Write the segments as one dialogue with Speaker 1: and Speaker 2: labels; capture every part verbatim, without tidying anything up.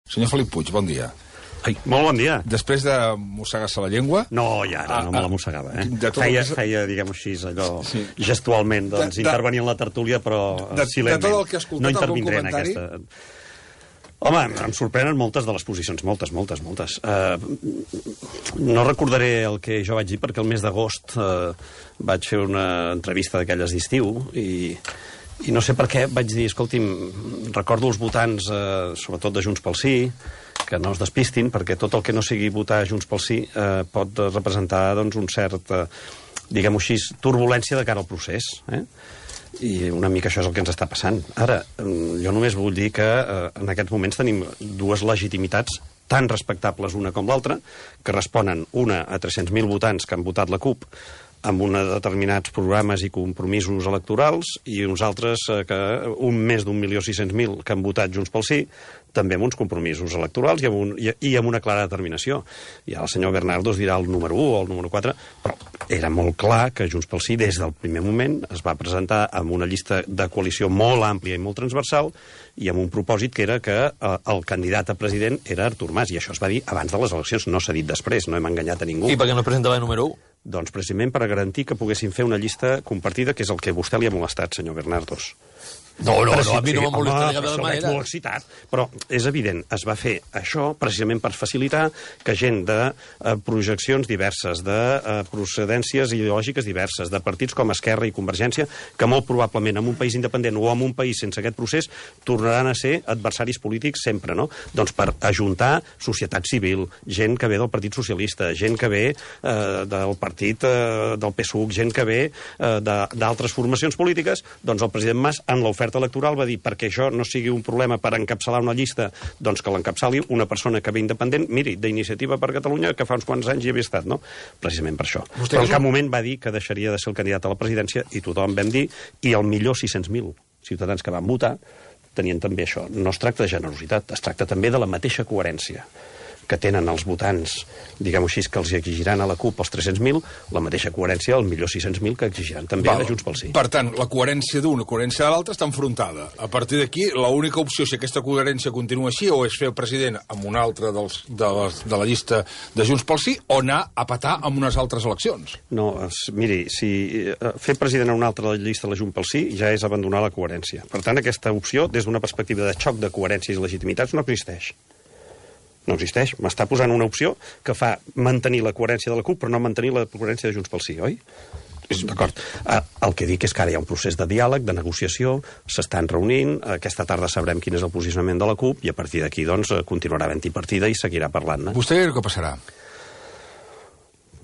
Speaker 1: Senyor Felip Puig, bon dia.
Speaker 2: Ai, molt bon dia.
Speaker 1: Després de mossegar-se la llengua...
Speaker 2: No, ja, ara, no me la mossegava, eh? Feia, feia diguem-ho així, allò, sí. gestualment, doncs, de, de, intervenir en la tertúlia, però de, silentment.
Speaker 1: De tot el que he escoltat,
Speaker 2: no intervindré en aquesta... Home, em sorprenen moltes de les posicions, moltes, moltes, moltes. Uh, no recordaré el que jo vaig dir, perquè el mes d'agost uh, vaig fer una entrevista d'aquelles d'estiu i... I no sé per què vaig dir, escolti'm, recordo els votants, eh, sobretot de Junts pel Sí, que no es despistin, perquè tot el que no sigui votar Junts pel Sí eh, pot representar doncs, un cert, eh, diguem-ho així, turbulència de cara al procés. Eh? I una mica això és el que ens està passant. Ara, jo només vull dir que eh, en aquests moments tenim dues legitimitats tan respectables una com l'altra, que responen una a tres-cents mil votants que han votat la CUP amb uns determinats programes i compromisos electorals, i uns altres, eh, que un més d'un milió sis-cents mil que han votat Junts pel Sí, també amb uns compromisos electorals i amb, un, i, i amb una clara determinació. I ara el senyor Bernardo es dirà el número u o el número quatre, però era molt clar que Junts pel Sí, des del primer moment, es va presentar amb una llista de coalició molt àmplia i molt transversal, i amb un propòsit que era que eh, el candidat a president era Artur Mas, i això es va dir abans de les eleccions, no s'ha dit després, no hem enganyat a ningú.
Speaker 3: I per què no presentava el número u?
Speaker 2: Doncs precisament per a garantir que poguessin fer una llista compartida, que és el que a vostè li ha molestat, senyor Bernardos.
Speaker 3: No, no, no, a mi no m'ha molestat de cap
Speaker 2: manera.
Speaker 3: manera.
Speaker 2: Molt excitat. Però és evident, es va fer això precisament per facilitar que gent de eh, projeccions diverses, de eh, procedències ideològiques diverses, de partits com Esquerra i Convergència, que molt probablement en un país independent o en un país sense aquest procés tornaran a ser adversaris polítics sempre, no? Doncs per ajuntar societat civil, gent que ve del Partit Socialista, gent que ve eh, del partit eh, del P S U C, gent que ve eh, d'altres formacions polítiques, doncs el president Mas, en l'oferta electoral, va dir, perquè això no sigui un problema per encapçalar una llista, doncs que l'encapçali una persona que ve independent, miri, d'Iniciativa per Catalunya, que fa uns quants anys hi havia estat, no? Precisament per això. Vostè Però en cap un... moment va dir que deixaria de ser el candidat a la presidència, i tothom vam dir, i el millor sis-cents mil ciutadans que van votar tenien també això. No es tracta de generositat, es tracta també de la mateixa coherència que tenen els votants, diguem-ho així, que els exigiran a la CUP els tres-cents mil, la mateixa coherència al millor sis-cents mil que exigiran també Val. a Junts pel Sí.
Speaker 1: Per tant, la coherència d'una, la coherència de l'altra està enfrontada. A partir d'aquí, l'única opció, si aquesta coherència continua així, o és fer el president amb un altre dels, de, les, de la llista de Junts pel Sí, o anar a petar amb unes altres eleccions.
Speaker 2: No, es, miri, si fer president a un altre de la llista de la Junts pel Sí ja és abandonar la coherència. Per tant, aquesta opció, des d'una perspectiva de xoc de coherències i legitimitats, no existeix. No existeix. M'està posant una opció que fa mantenir la coherència de la CUP, però no mantenir la coherència de Junts pel Sí, oi? D'acord. El que dic és que ara hi ha un procés de diàleg, de negociació, s'estan reunint, aquesta tarda sabrem quin és el posicionament de la CUP, i a partir d'aquí, doncs, continuarà havent-hi partida i seguirà parlant-ne.
Speaker 1: Vostè creu que passarà?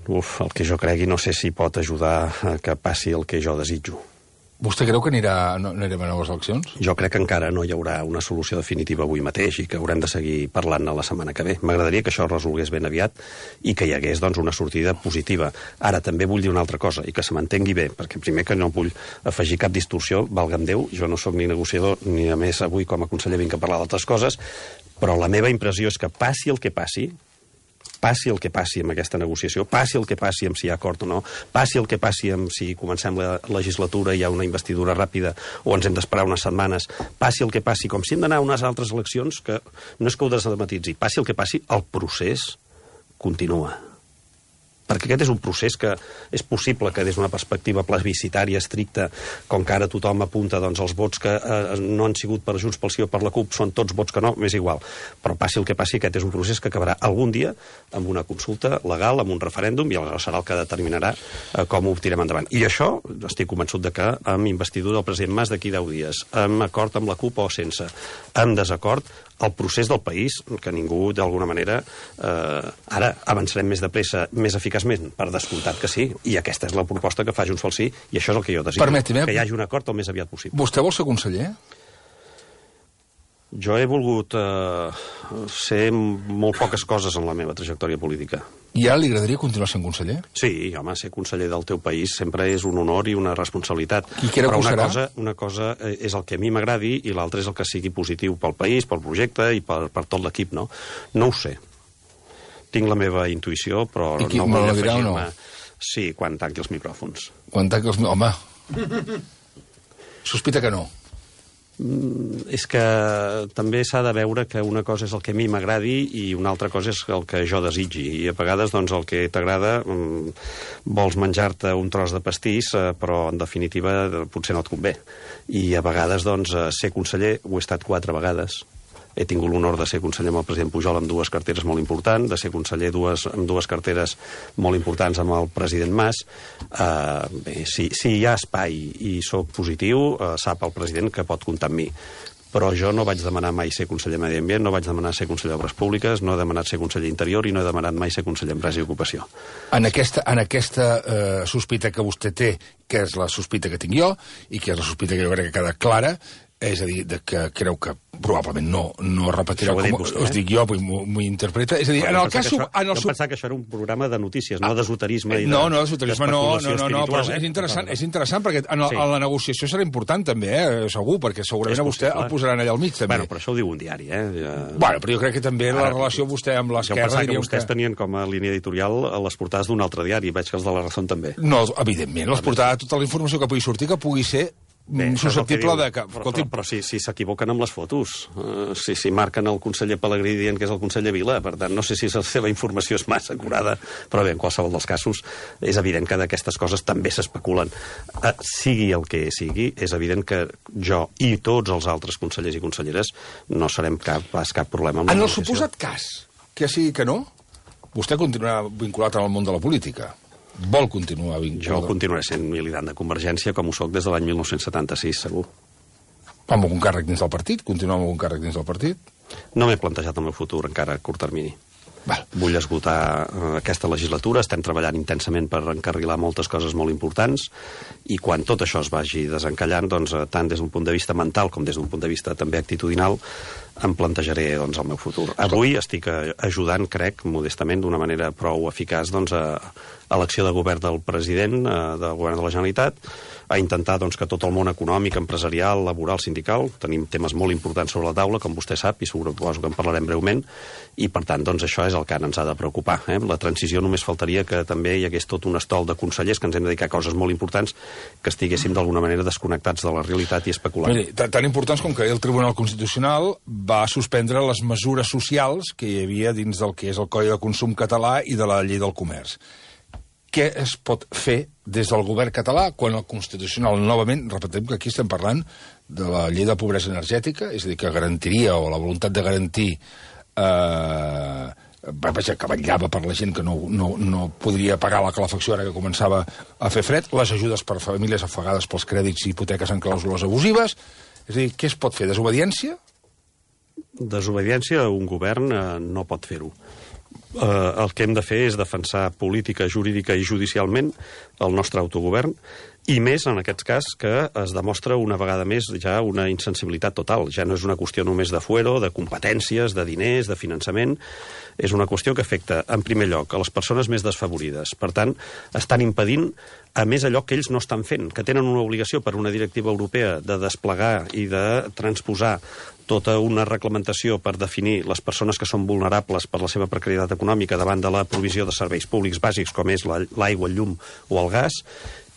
Speaker 2: Uf, el que jo cregui no sé si pot ajudar a que passi el que jo desitjo.
Speaker 1: Vostè creu que anirà, no, anirem a noves eleccions?
Speaker 2: Jo crec que encara no hi haurà una solució definitiva avui mateix i que haurem de seguir parlant-ne la setmana que ve. M'agradaria que això es resolgués ben aviat i que hi hagués, doncs, una sortida positiva. Ara, també vull dir una altra cosa, i que se m'entengui bé, perquè primer que no vull afegir cap distorsió, valga'm Déu, jo no sóc ni negociador, ni a més avui com a conseller vinc a parlar d'altres coses, però la meva impressió és que passi el que passi, passi el que passi amb aquesta negociació, passi el que passi amb si hi ha acord o no, passi el que passi amb si comencem la legislatura i hi ha una investidura ràpida o ens hem d'esperar unes setmanes, passi el que passi, com si hem d'anar a unes altres eleccions, que no és que ho desdramatitzi, passi el que passi, el procés continua. Perquè aquest és un procés que és possible que des d'una perspectiva plebiscitària estricta, com que ara tothom apunta, doncs els vots que eh, no han sigut per Junts pel Sí o per la CUP són tots vots que no, m'és igual. Però passi el que passi, aquest és un procés que acabarà algun dia amb una consulta legal, amb un referèndum, i aleshores serà el que determinarà eh, com ho tirem endavant. I això estic convençut de que amb investidura del president Mas d'aquí deu dies, amb acord amb la CUP o sense, amb desacord, el procés del país, que ningú, d'alguna manera, eh, ara avançarem més de pressa, més eficaçment, per descomptat que sí, i aquesta és la proposta que fa Junts pel Sí, i això és el que jo desitjo,
Speaker 1: Permeti'm,
Speaker 2: que hi hagi un acord el més aviat possible.
Speaker 1: Vostè vol ser conseller?
Speaker 2: Jo he volgut eh, ser molt poques coses en la meva trajectòria política.
Speaker 1: I ara li agradaria continuar sent conseller?
Speaker 2: Sí, home, ser conseller del teu país sempre és un honor i una responsabilitat.
Speaker 1: Qui creu
Speaker 2: Però
Speaker 1: que ho
Speaker 2: una
Speaker 1: serà?
Speaker 2: cosa, una cosa és el que a mi m'agradi i l'altra és el que sigui positiu pel país, pel projecte i per, per tot l'equip, no? No ho sé. Tinc la meva intuïció, però
Speaker 1: I qui,
Speaker 2: no
Speaker 1: me
Speaker 2: vull
Speaker 1: la dirà o no?
Speaker 2: afegir-me... Sí, quan tanqui els micròfons.
Speaker 1: Quan tanqui els... Home, sospita que no.
Speaker 2: Mm, és que també s'ha de veure que una cosa és el que a mi m'agradi i una altra cosa és el que jo desitgi. I a vegades, doncs, el que t'agrada, mm, vols menjar-te un tros de pastís, eh, però, en definitiva, potser no et convé. I a vegades, doncs, ser conseller, ho he estat quatre vegades. He tingut l'honor de ser conseller amb el president Pujol amb dues carteres molt importants, de ser conseller dues, amb dues carteres molt importants amb el president Mas. Uh, bé, si, si hi ha espai i soc positiu, uh, sap el president que pot comptar amb mi. Però jo no vaig demanar mai ser conseller de Medi Ambient, no vaig demanar ser conseller d'Obres Públiques, no he demanat ser conseller d'Interior i no he demanat mai ser conseller d'Empresa i Ocupació.
Speaker 1: En aquesta, en aquesta eh, sospita que vostè té, que és la sospita que tinc jo, i que és la sospita que jo crec que queda clara, és a dir, de que creu que probablement no, no repetirà com vostè, us dic jo, m'ho interpreta. És a dir, en el cas...
Speaker 2: Això, en el jo pensava que això era un programa de notícies, ah, no d'esoterisme i de...
Speaker 1: No, no, d'esoterisme no, no, no, no, però és interessant, és interessant perquè en, sí. en la negociació serà important també, eh, segur, perquè segurament a vostè el posaran allà al mig, també.
Speaker 2: Bueno, però això ho diu un diari, eh? Ja...
Speaker 1: Bueno, però jo crec que també Ara, la relació vostè amb l'esquerra...
Speaker 2: Jo pensava que vostès que... tenien com a línia editorial les portades d'un altre diari, veig que els de la Razón també.
Speaker 1: No, evidentment, les portades, tota la informació que pugui sortir, que pugui ser Bé, susceptible de que...
Speaker 2: Però, però, però si s'equivoquen si amb les fotos, uh, si, si marquen el conseller Pelegrí dient que és el conseller Vila, per tant, no sé si la seva informació és massa acurada, però bé, en qualsevol dels casos, és evident que d'aquestes coses també s'especulen. Uh, sigui el que sigui, és evident que jo i tots els altres consellers i conselleres no serem cap, pas cap problema amb la
Speaker 1: En el suposat cas, que sigui que no, vostè continuarà vinculat al món de la política. Vol continuar vinculat?
Speaker 2: Jo continuaré sent militant de Convergència, com ho soc des de l'any mil nou-cents setanta-sis, segur.
Speaker 1: Amb algun càrrec dins del partit? Continuar amb algun càrrec dins del partit?
Speaker 2: No m'he plantejat el meu futur encara a curt termini.
Speaker 1: Val.
Speaker 2: Vull esgotar uh, aquesta legislatura, estem treballant intensament per encarrilar moltes coses molt importants i quan tot això es vagi desencallant, doncs, uh, tant des d'un punt de vista mental com des d'un punt de vista també actitudinal, em plantejaré doncs, el meu futur. Avui estic ajudant, crec, modestament, d'una manera prou eficaç, doncs, a, a l'acció de govern del president, a, del govern de la Generalitat, a intentar doncs, que tot el món econòmic, empresarial, laboral, sindical, tenim temes molt importants sobre la taula, com vostè sap, i suposo que en parlarem breument, i per tant, doncs, això és el que ens ha de preocupar. Eh? La transició només faltaria que també hi hagués tot un estol de consellers que ens hem de dedicar a coses molt importants que estiguéssim d'alguna manera desconnectats de la realitat i especulant.
Speaker 1: Miri, tan importants com que el Tribunal Constitucional va suspendre les mesures socials que hi havia dins del que és el Codi de Consum català i de la Llei del Comerç. Què es pot fer des del govern català quan el Constitucional, novament, repetim que aquí estem parlant de la Llei de Pobresa Energètica, és a dir, que garantiria, o la voluntat de garantir, eh, vaja, que vetllava per la gent que no, no, no podria pagar la calefacció ara que començava a fer fred, les ajudes per famílies afegades pels crèdits i hipoteques en clàusules abusives, és a dir, què es pot fer? Desobediència?
Speaker 2: Desobediència, un govern eh, no pot fer-ho. Eh, el que hem de fer és defensar política, jurídica i judicialment el nostre autogovern, i més en aquest cas que es demostra una vegada més ja una insensibilitat total. Ja no és una qüestió només de fuero, de competències, de diners, de finançament. És una qüestió que afecta, en primer lloc, a les persones més desfavorides. Per tant, estan impedint, a més, allò que ells no estan fent, que tenen una obligació per una directiva europea de desplegar i de transposar tota una reglamentació per definir les persones que són vulnerables per la seva precarietat econòmica davant de la provisió de serveis públics bàsics com és l'aigua, el llum o el gas,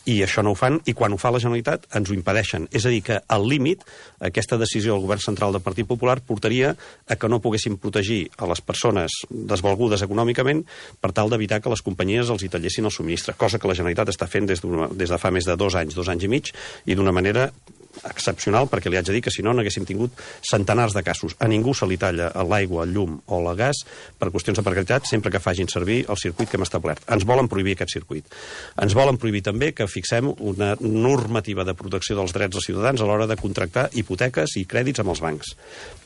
Speaker 2: i això no ho fan, i quan ho fa la Generalitat ens ho impedeixen. És a dir, que al límit aquesta decisió del govern central del Partit Popular portaria a que no poguessin protegir a les persones desvalgudes econòmicament per tal d'evitar que les companyies els hi tallessin el subministre, cosa que la Generalitat està fent des, des de fa més de dos anys, dos anys i mig, i d'una manera excepcional, perquè li haig de dir que si no n'haguéssim tingut centenars de casos. A ningú se li talla l'aigua, el llum o el gas per qüestions de precarietat sempre que facin servir el circuit que hem establert. Ens volen prohibir aquest circuit. Ens volen prohibir també que fixem una normativa de protecció dels drets dels ciutadans a l'hora de contractar hipoteques i crèdits amb els bancs,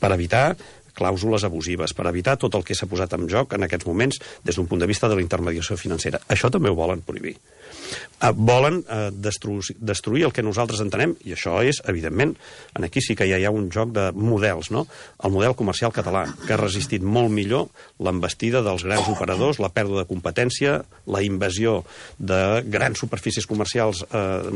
Speaker 2: per evitar clàusules abusives, per evitar tot el que s'ha posat en joc en aquests moments des d'un punt de vista de la intermediació financera. Això també ho volen prohibir. Uh, volen uh, destruir, destruir el que nosaltres entenem, i això és, evidentment, aquí sí que ja hi ha un joc de models, no? El model comercial català, que ha resistit molt millor l'envestida dels grans operadors, la pèrdua de competència, la invasió de grans superfícies comercials uh,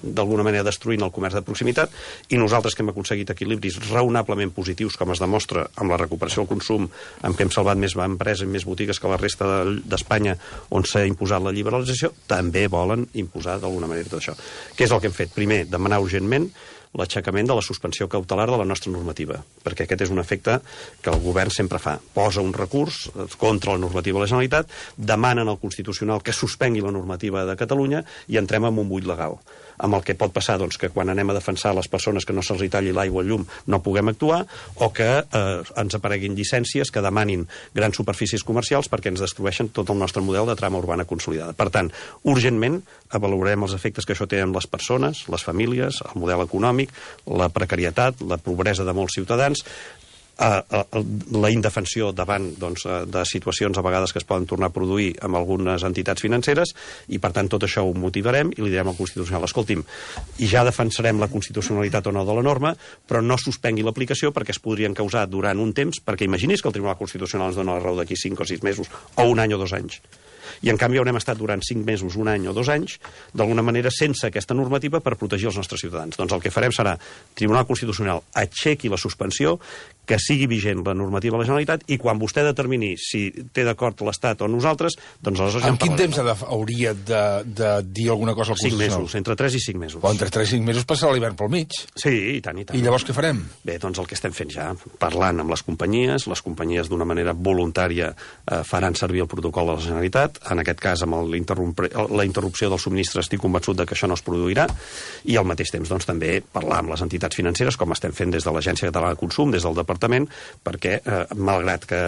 Speaker 2: d'alguna manera destruint el comerç de proximitat, i nosaltres que hem aconseguit equilibris raonablement positius, com es demostra amb la recuperació del consum, amb què hem salvat més empreses i més botigues que la resta d'Espanya, on s'ha imposat la liberalització, també volen imposar d'alguna manera tot això. Què és el que hem fet? Primer, demanar urgentment l'aixecament de la suspensió cautelar de la nostra normativa, perquè aquest és un efecte que el govern sempre fa. Posa un recurs contra la normativa de la Generalitat, demanen al Constitucional que suspengui la normativa de Catalunya i entrem en un buit legal. Amb el que pot passar doncs, que quan anem a defensar les persones que no se'ls talli l'aigua o el llum no puguem actuar, o que eh, ens apareguin llicències que demanin grans superfícies comercials perquè ens destrueixen tot el nostre model de trama urbana consolidada. Per tant, urgentment avaluarem els efectes que això té en les persones, les famílies, el model econòmic, la precarietat, la pobresa de molts ciutadans, la indefensió davant doncs, de situacions a vegades que es poden tornar a produir amb algunes entitats financeres, i per tant tot això ho motivarem i li direm al Constitucional: escolti'm, i ja defensarem la constitucionalitat o no de la norma, però no suspengui l'aplicació perquè es podrien causar durant un temps, perquè imagini's que el Tribunal Constitucional ens dona la raó d'aquí cinc o sis mesos, o un any o dos anys. I en canvi haurem estat durant cinc mesos, un any o dos anys, d'alguna manera sense aquesta normativa per protegir els nostres ciutadans. Doncs el que farem serà: Tribunal Constitucional, aixequi la suspensió, que sigui vigent la normativa de la Generalitat, i quan vostè determini si té d'acord l'Estat o nosaltres, doncs aleshores...
Speaker 1: En quin temps hauria de, de dir alguna cosa al Constitucional?
Speaker 2: Cinc mesos, entre tres i cinc mesos.
Speaker 1: Però entre tres i cinc mesos passarà l'hivern pel mig.
Speaker 2: Sí, i tant, i tant.
Speaker 1: I llavors què farem?
Speaker 2: Bé, doncs el que estem fent ja, parlant amb les companyies, les companyies d'una manera voluntària eh, faran servir el protocol de la Generalitat, en aquest cas amb la interrupció del subministre estic convençut de que això no es produirà, i al mateix temps doncs, també parlar amb les entitats financeres, com estem fent des de l'Agència Catalana de Consum, des del Departament, perquè, eh, malgrat que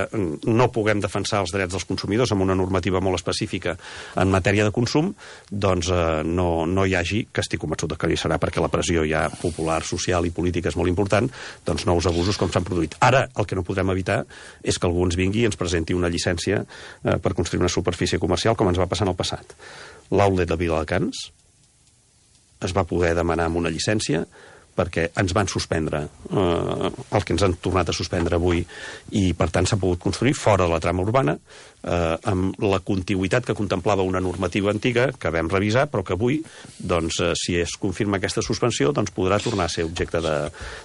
Speaker 2: no puguem defensar els drets dels consumidors amb una normativa molt específica en matèria de consum, doncs eh, no, no hi hagi, que estic convençut que hi serà, perquè la pressió ja popular, social i política és molt important, doncs nous abusos com s'han produït. Ara, el que no podrem evitar és que algú ens vingui i ens presenti una llicència eh, per construir una superfície comercial, com ens va passar en el passat. L'outlet de Viladecans es va poder demanar amb una llicència perquè ens van suspendre eh, el que ens han tornat a suspendre avui, i per tant s'ha pogut construir fora de la trama urbana eh, amb la contigüitat que contemplava una normativa antiga que vam revisar, però que avui doncs, eh, si es confirma aquesta suspensió, doncs podrà tornar a ser objecte de,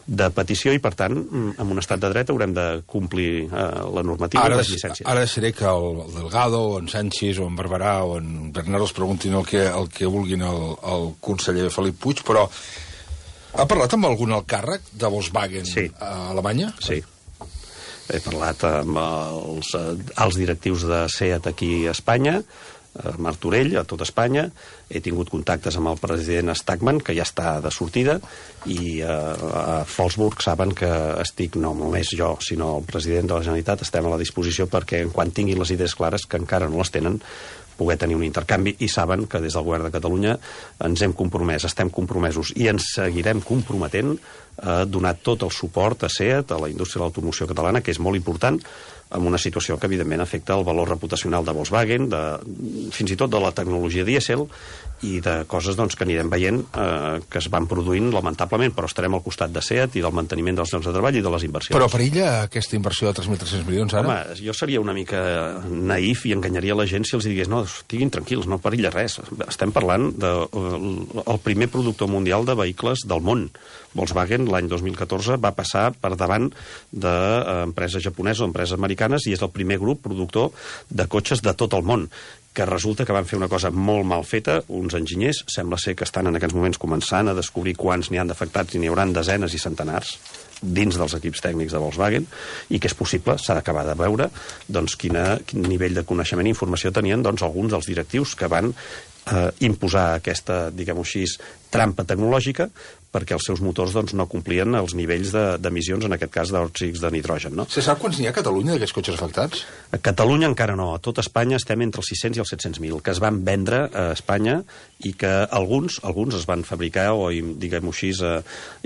Speaker 2: de petició, i per tant en un estat de dret haurem de complir eh, la normativa
Speaker 1: ara,
Speaker 2: i les llicències.
Speaker 1: Ara deixaré que el, el Delgado o en Sánchez o en Barberà o en Bernat els preguntin el que, el que vulguin al, al conseller Felip Puig, però ha parlat amb algun alt càrrec de Volkswagen
Speaker 2: sí.
Speaker 1: a Alemanya?
Speaker 2: Sí. He parlat amb els, els directius de SEAT aquí a Espanya, a Martorell, a tot Espanya. He tingut contactes amb el president Stachmann, que ja està de sortida, i a, a Wolfsburg saben que estic, no només jo, sinó el president de la Generalitat, estem a la disposició perquè, quan tinguin les idees clares, que encara no les tenen, poder tenir un intercanvi, i saben que des del govern de Catalunya ens hem compromès, estem compromesos i ens seguirem comprometent a donar tot el suport a SEAT, a la indústria de l'automoció catalana, que és molt important, amb una situació que evidentment afecta el valor reputacional de Volkswagen, de, fins i tot de la tecnologia dièsel, i de coses doncs, que anirem veient eh, que es van produint lamentablement, però estarem al costat de SEAT i del manteniment dels llocs de treball i de les inversions.
Speaker 1: Però perilla aquesta inversió de tres mil tres-cents milions ara?
Speaker 2: Home, jo seria una mica naïf i enganyaria la gent si els digués no, estiguin tranquils, no perilla res. Estem parlant del de, primer productor mundial de vehicles del món. Volkswagen l'any dos mil catorze va passar per davant d'empreses japoneses o empreses americanes, i és el primer grup productor de cotxes de tot el món, que resulta que van fer una cosa molt mal feta, uns enginyers, sembla ser que estan en aquests moments començant a descobrir quants n'hi han d'afectats, i n'hi hauran desenes i centenars dins dels equips tècnics de Volkswagen, i que és possible, s'ha d'acabar de veure doncs, quina, quin nivell de coneixement i informació tenien doncs, alguns dels directius que van eh, imposar aquesta, diguem-ho així, trampa tecnològica, perquè els seus motors doncs, no complien els nivells d'emissions, de, en aquest cas d'òxids de nitrogen. No?
Speaker 1: Se sap quants n'hi ha a Catalunya d'aquests cotxes afectats?
Speaker 2: A Catalunya encara no. A tot Espanya estem entre els sis-cents i els set-cents mil, que es van vendre a Espanya, i que alguns alguns es van fabricar o, diguem-ho així,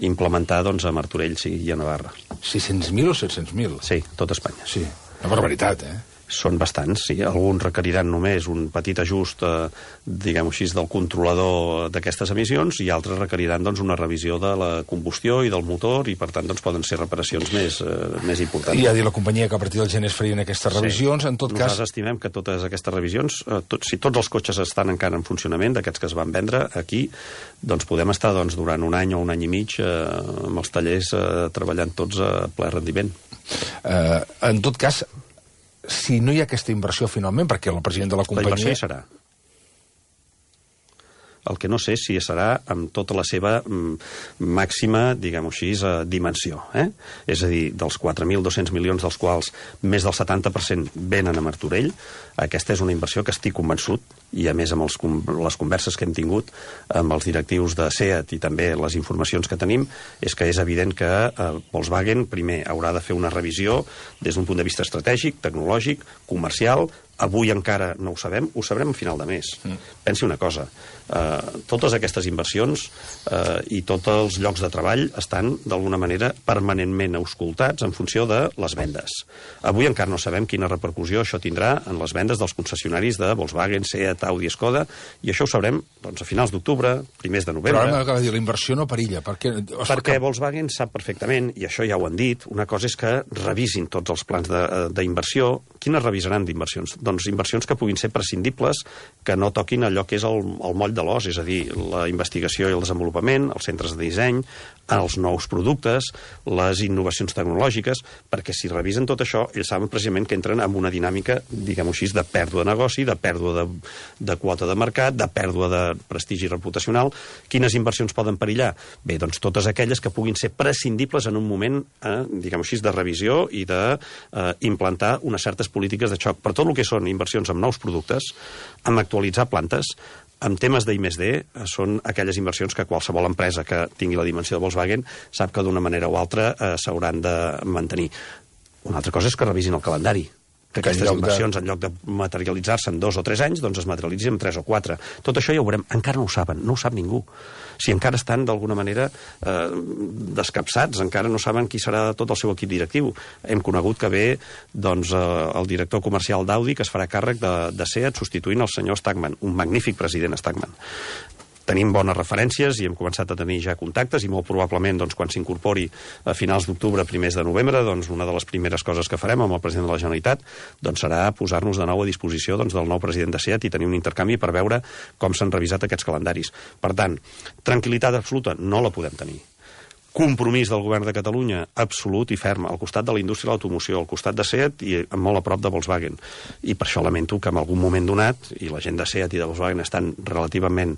Speaker 2: implementar doncs, a Martorell sí, i a Navarra.
Speaker 1: sis-cents mil o set-cents mil?
Speaker 2: Sí, tot Espanya.
Speaker 1: Sí, una barbaritat, eh?
Speaker 2: Són bastants, sí. Alguns requeriran només un petit ajust, eh, diguem-ho així, del controlador d'aquestes emissions, i altres requeriran doncs, una revisió de la combustió i del motor, i per tant doncs, poden ser reparacions més, eh, més importants.
Speaker 1: I ha dit la companyia que a partir del gener es farien aquestes revisions, sí. En tot
Speaker 2: Nosaltres
Speaker 1: cas...
Speaker 2: estimem que totes aquestes revisions, eh, tot, si tots els cotxes estan encara en funcionament, d'aquests que es van vendre aquí, doncs podem estar doncs, durant un any o un any i mig eh, amb els tallers eh, treballant tots a ple rendiment.
Speaker 1: Eh, en tot cas, si no hi ha aquesta inversió finalment, perquè el president de la companyia...
Speaker 2: La inversió hi serà. El que no sé si serà amb tota la seva mm, màxima, diguem-ho així, eh, dimensió. Eh? És a dir, dels quatre mil dos-cents milions dels quals més del setanta per cent venen a Martorell, aquesta és una inversió que estic convençut, i a més amb els, les converses que hem tingut amb els directius de SEAT i també les informacions que tenim, és que és evident que eh, Volkswagen primer haurà de fer una revisió des d'un punt de vista estratègic, tecnològic, comercial. Avui encara no ho sabem, ho sabrem a final de mes. Mm. Pensi una cosa, eh, totes aquestes inversions eh, i tots els llocs de treball estan d'alguna manera permanentment auscultats en funció de les vendes. Avui encara no sabem quina repercussió això tindrà en les vendes dels concessionaris de Volkswagen, SEAT, Audi, Skoda, i això ho sabrem doncs, a finals d'octubre, primers de novembre.
Speaker 1: Però ara m'acaba de dir, la inversió no perilla. Perquè,
Speaker 2: perquè Volkswagen sap perfectament, i això ja ho han dit, una cosa és que revisin tots els plans d'inversió. Quines revisaran d'inversions? Doncs inversions que puguin ser prescindibles, que no toquin allò que és el, el moll de l'os, és a dir, la investigació i el desenvolupament, els centres de disseny, els nous productes, les innovacions tecnològiques, perquè si revisen tot això, ells saben precisament que entren en una dinàmica, diguem-ho així, de pèrdua de negoci, de pèrdua de, de quota de mercat, de pèrdua de prestigi reputacional. Quines inversions poden perillar? Bé, doncs totes aquelles que puguin ser prescindibles en un moment, eh, diguem-ho així, de revisió i d'implantar eh, unes certes polítiques de xoc. Per tot el que són inversions en nous productes, en actualitzar plantes, en temes d'I més D, són aquelles inversions que qualsevol empresa que tingui la dimensió de Volkswagen sap que d'una manera o altra eh, s'hauran de mantenir. Una altra cosa és que revisin el calendari, que aquestes en inversions, de... en lloc de materialitzar-se en dos o tres anys, doncs es materialitzin en tres o quatre. Tot això ja ho veurem. Encara no ho saben, no ho sap ningú. Si encara estan, d'alguna manera, eh, descapçats, encara no saben qui serà tot el seu equip directiu. Hem conegut que ve doncs, eh, el director comercial d'Audi, que es farà càrrec de, de SEAT, substituint el senyor Stagman, un magnífic president Stagman. Tenim bones referències i hem començat a tenir ja contactes i molt probablement doncs, quan s'incorpori a finals d'octubre, primers de novembre, doncs, una de les primeres coses que farem amb el president de la Generalitat doncs, serà posar-nos de nou a disposició doncs, del nou president de SEAT i tenir un intercanvi per veure com s'han revisat aquests calendaris. Per tant, tranquil·litat absoluta no la podem tenir. Compromís del govern de Catalunya absolut i ferm al costat de la indústria de l'automoció, al costat de SEAT i molt a prop de Volkswagen. I per això lamento que en algun moment donat, i la gent de SEAT i de Volkswagen estan relativament,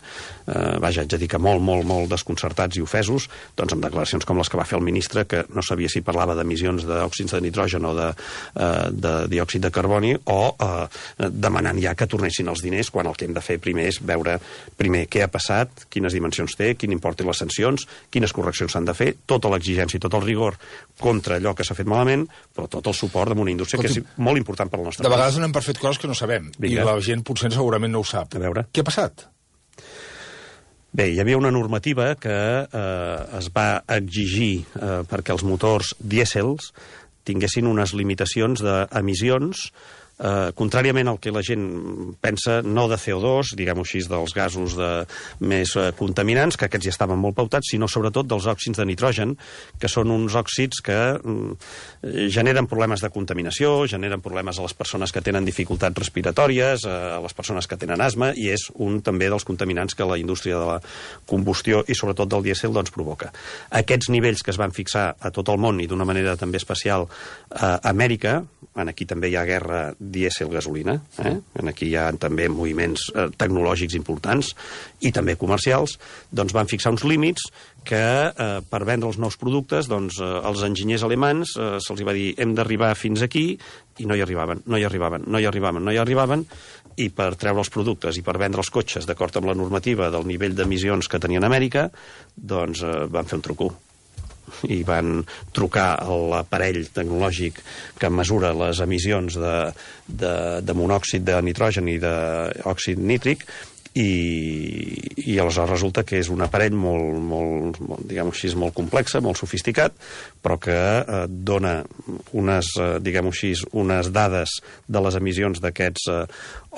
Speaker 2: eh, vaja, haig de dir que molt, molt, molt desconcertats i ofesos, doncs amb declaracions com les que va fer el ministre, que no sabia si parlava d'emissions d'òxids de nitrogen o de, eh, de diòxid de carboni, o eh, demanant ja que tornessin els diners, quan el que hem de fer primer és veure primer què ha passat, quines dimensions té, quin import té les sancions, quines correccions s'han de fer, tota l'exigència i tot el rigor contra allò que s'ha fet malament, però tot el suport d'una indústria que és molt important per al nostre país.
Speaker 1: De vegades anem per fet coses que no sabem, Vinga. I la gent potser segurament no ho sap.
Speaker 2: A veure.
Speaker 1: Què ha passat?
Speaker 2: Bé, hi havia una normativa que eh, es va exigir eh, perquè els motors dièsels tinguessin unes limitacions d'emissions Uh, contràriament al que la gent pensa, no de C O dos, diguem-ho així, dels gasos de, més uh, contaminants, que aquests ja estaven molt pautats, sinó sobretot dels òxids de nitrogen, que són uns òxids que um, generen problemes de contaminació, generen problemes a les persones que tenen dificultats respiratòries, uh, a les persones que tenen asma, i és un també dels contaminants que la indústria de la combustió i sobretot del dièsel doncs, provoca. Aquests nivells que es van fixar a tot el món i d'una manera també especial a Amèrica, en aquí també hi ha guerra dièsel-gasolina, eh? En aquí hi ha també moviments eh, tecnològics importants i també comercials, doncs van fixar uns límits que eh, per vendre els nous productes doncs, eh, els enginyers alemans eh, se'ls va dir hem d'arribar fins aquí i no hi arribaven, no hi arribaven, no hi arribaven, no hi arribaven, i per treure els productes i per vendre els cotxes d'acord amb la normativa del nivell d'emissions que tenien a Amèrica, doncs eh, van fer un truco. I van trucar a l'aparell tecnològic que mesura les emissions de, de, de monòxid de nitrogen i d'òxid nítric, i, i aleshores resulta que és un aparell molt, molt, molt diguem-ho així, molt complex, molt sofisticat, però que eh, dona unes, eh, diguem-ho així, unes dades de les emissions d'aquests eh,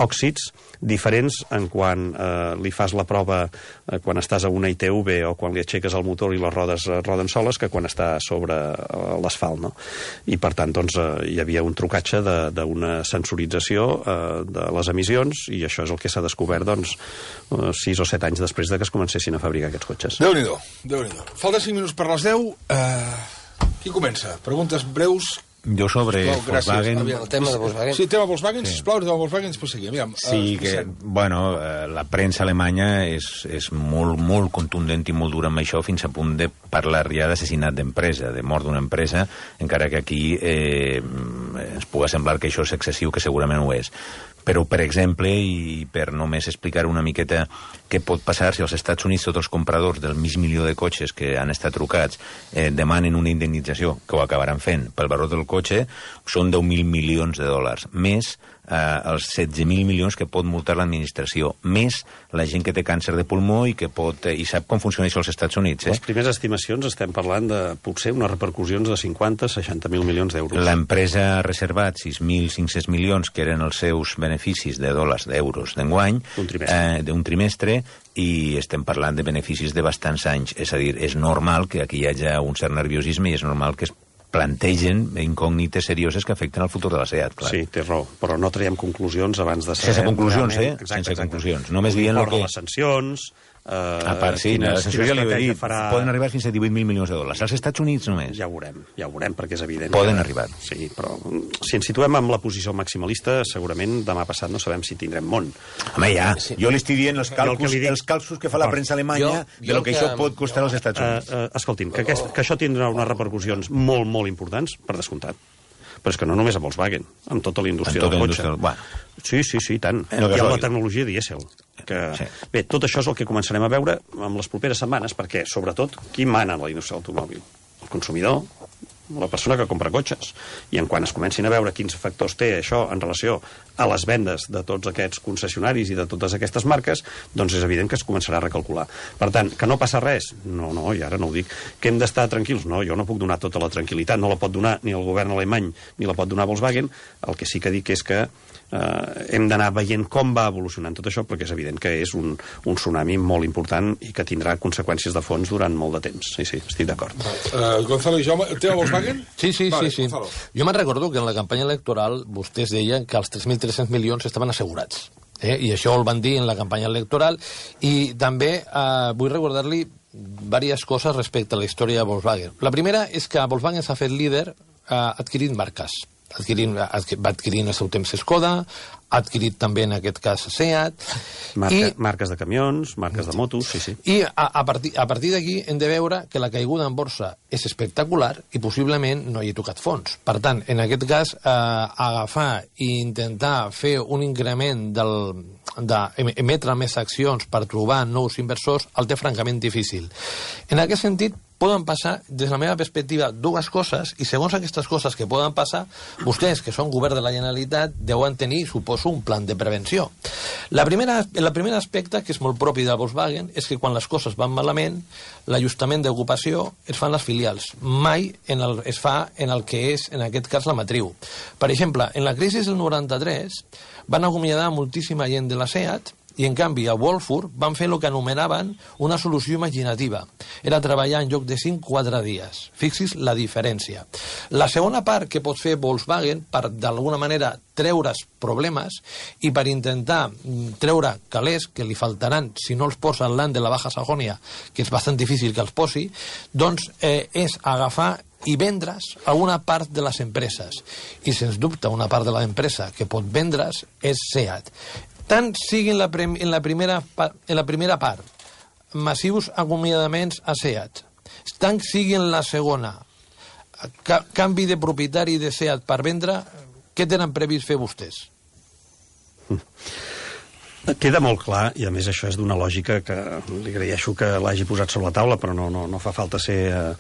Speaker 2: òxids diferents en quan eh, li fas la prova eh, quan estàs a una I T V o quan li aixeques el motor i les rodes eh, roden soles que quan està sobre eh, l'asfalt, no? I per tant, doncs, eh, hi havia un trucatge d'una sensorització eh, de les emissions, i això és el que s'ha descobert, doncs, eh, sis o set anys després de que es comencessin a fabricar aquests cotxes.
Speaker 1: Déu-n'hi-do, Déu-n'hi-do. Falta cinc minuts per les deu. Uh, qui comença? Preguntes breus.
Speaker 4: Jo sobre
Speaker 1: Sisplau, gràcies.
Speaker 4: Volkswagen...
Speaker 1: Aviam.
Speaker 5: El tema de Volkswagen.
Speaker 1: Sí, el tema Volkswagen,
Speaker 4: Sí.
Speaker 1: sisplau, el tema Volkswagen, després seguim. Aviam,
Speaker 4: Sí,
Speaker 1: eh,
Speaker 4: que,
Speaker 1: Vicent.
Speaker 4: bueno, eh, la premsa alemanya és, és molt, molt contundent i molt dura amb això, fins a punt de parlar ja d'assassinat d'empresa, de mort d'una empresa, encara que aquí eh, ens pugui semblar que això és excessiu, que segurament ho és. Però, per exemple, i per només explicar una miqueta què pot passar si als Estats Units tots els compradors del mig milió de cotxes que han estat trucats eh, demanen una indemnització, que ho acabaran fent, pel valor del cotxe, són deu mil milions de dòlars, més eh, els setze mil milions que pot multar l'administració, més la gent que té càncer de pulmó i que pot, eh, i sap com funciona això als Estats Units. Eh?
Speaker 2: Les primeres estimacions estem parlant de, potser, unes repercussions de cinquanta a seixanta mil milions d'euros.
Speaker 4: L'empresa ha reservat sis mil cinc-cents milions, que eren els seus beneficis de dòlars, d'euros d'enguany,
Speaker 2: Un trimestre.
Speaker 4: eh, d'un trimestre, i estem parlant de beneficis de bastants anys. És a dir, és normal que aquí hi hagi un cert nerviosisme i és normal que es plantegen incògnites serioses que afecten el futur de la SEAT, clar.
Speaker 2: Sí, té raó, però no traiem conclusions abans de saber...
Speaker 4: Sense conclusions,
Speaker 2: realment-
Speaker 4: eh?
Speaker 2: Exacte,
Speaker 4: Sense
Speaker 2: exacte.
Speaker 4: conclusions. Només dient
Speaker 2: L'import
Speaker 4: el que-
Speaker 2: de les sancions... Eh,
Speaker 4: A part, sí,
Speaker 2: quines-
Speaker 4: la sanció
Speaker 2: quina
Speaker 4: ja li he
Speaker 2: estratègia
Speaker 4: dit,
Speaker 2: farà...
Speaker 4: poden arribar fins a divuit mil milions de dòlars. Als Estats Units només.
Speaker 2: Ja ho veurem, ja ho veurem, perquè és evident.
Speaker 4: Poden
Speaker 2: que...
Speaker 4: arribar.
Speaker 2: Sí, però mm, si ens situem amb la posició maximalista, segurament demà passat no sabem si tindrem món.
Speaker 4: Home, ja, jo li estic dient els
Speaker 2: Jo el que
Speaker 4: càlculs,
Speaker 2: li dic-
Speaker 4: els càlculs que fa la premsa alemanya
Speaker 5: Jo-
Speaker 4: de
Speaker 5: jo
Speaker 4: lo que,
Speaker 5: que-
Speaker 4: això pot costar als Estats
Speaker 2: Uh,
Speaker 4: Units.
Speaker 2: uh, escolti'm, que, aquest, que això tindrà unes repercussions molt, molt importants, per descomptat. Però és que no només a Volkswagen, amb tota la indústria
Speaker 4: Amb tota
Speaker 2: del
Speaker 4: la
Speaker 2: cotxe.
Speaker 4: indústria del- bueno.
Speaker 2: Sí, sí, sí, i tant.
Speaker 4: En el
Speaker 2: I amb la
Speaker 4: gasoil.
Speaker 2: tecnologia dièsel. Que...
Speaker 4: Sí.
Speaker 2: Bé, tot això és el que començarem a veure amb les properes setmanes, perquè, sobretot, qui mana en la indústria de l'automòbil? El consumidor, la persona que compra cotxes. I en quan es comencin a veure quins factors té això en relació a les vendes de tots aquests concessionaris i de totes aquestes marques, doncs és evident que es començarà a recalcular. Per tant, que no passa res? No, no, i ara no ho dic. Que hem d'estar tranquils? No, jo no puc donar tota la tranquil·litat, no la pot donar ni el govern alemany ni la pot donar Volkswagen. El que sí que dic és que eh, hem d'anar veient com va evolucionant tot això, perquè és evident que és un, un tsunami molt important i que tindrà conseqüències de fons durant molt de temps. Sí, sí, estic d'acord.
Speaker 1: Uh, Gonzalo i Jaume, el tema Volkswagen?
Speaker 5: Sí, sí,
Speaker 1: Vale,
Speaker 5: sí, sí.
Speaker 1: Gonzalo.
Speaker 5: Jo me'n recordo que en la campanya electoral vostès deien que els tres mil tres-cents milions estaven assegurats. Eh? I això el van dir en la campanya electoral. I també eh, vull recordar-li diverses coses respecte a la història de Volkswagen. La primera és que Volkswagen s'ha fet líder eh, adquirint marques. Adquirint, adqu va adquirint el seu temps Skoda, ha adquirit també en aquest cas Seat.
Speaker 2: Marca,
Speaker 5: i,
Speaker 2: marques de camions, marques de motos, sí, sí.
Speaker 5: I a, a partir, a partir d'aquí hem de veure que la caiguda en borsa és espectacular i possiblement no hi ha tocat fons. Per tant, en aquest cas, eh, agafar i intentar fer un increment del d'emetre més accions per trobar nous inversors el té francament difícil. En aquest sentit, poden passar, des de la meva perspectiva, dues coses, i segons aquestes coses que poden passar, vostès, que són govern de la Generalitat, deuen tenir, suposo, un plan de prevenció. La primera, el primer aspecte, que és molt propi de Volkswagen, és que quan les coses van malament, l'ajustament d'ocupació es fa en les filials. Mai en el, es fa en el que és, en aquest cas, la matriu. Per exemple, en la crisi del noranta-tres van acomiadar moltíssima gent de la Seat, i en canvi a Wolfur van fer el que anomenaven una solució imaginativa. Era treballar en lloc de cinc, quatre dies. Fixis la diferència. La segona part que pot fer Volkswagen per d'alguna manera treure's problemes i per intentar treure calés que li faltaran si no els posa el land de la Baja Sajònia, que és bastant difícil que els posi, doncs eh, és agafar i vendre's a una part de les empreses. I sens dubte una part de l'empresa que pot vendre's és Seat. Tant sigui en la, en, la primera, en la primera part massius acomiadaments a Seat, tant sigui en la segona ca canvi de propietari de Seat per vendre, què tenen previst fer vostès?
Speaker 2: Queda molt clar, i a més això és d'una lògica que li agraeixo que l'hagi posat sobre la taula, però no, no, no fa falta ser uh,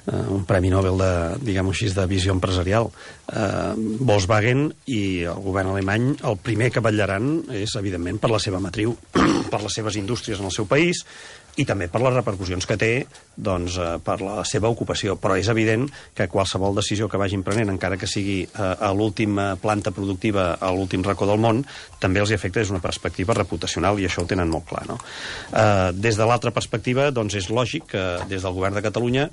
Speaker 2: uh, un Premi Nobel de, diguem-ho així, de visió empresarial. Uh, Volkswagen i el govern alemany el primer que vetllaran és, evidentment, per la seva matriu, per les seves indústries en el seu país, i també per les repercussions que té doncs, eh, per la seva ocupació. Però és evident que qualsevol decisió que vagin prenent, encara que sigui eh, a l'última planta productiva, a l'últim racó del món, també els afecta des d'una perspectiva reputacional, i això ho tenen molt clar. No? Eh, des de l'altra perspectiva, doncs és lògic que des del govern de Catalunya,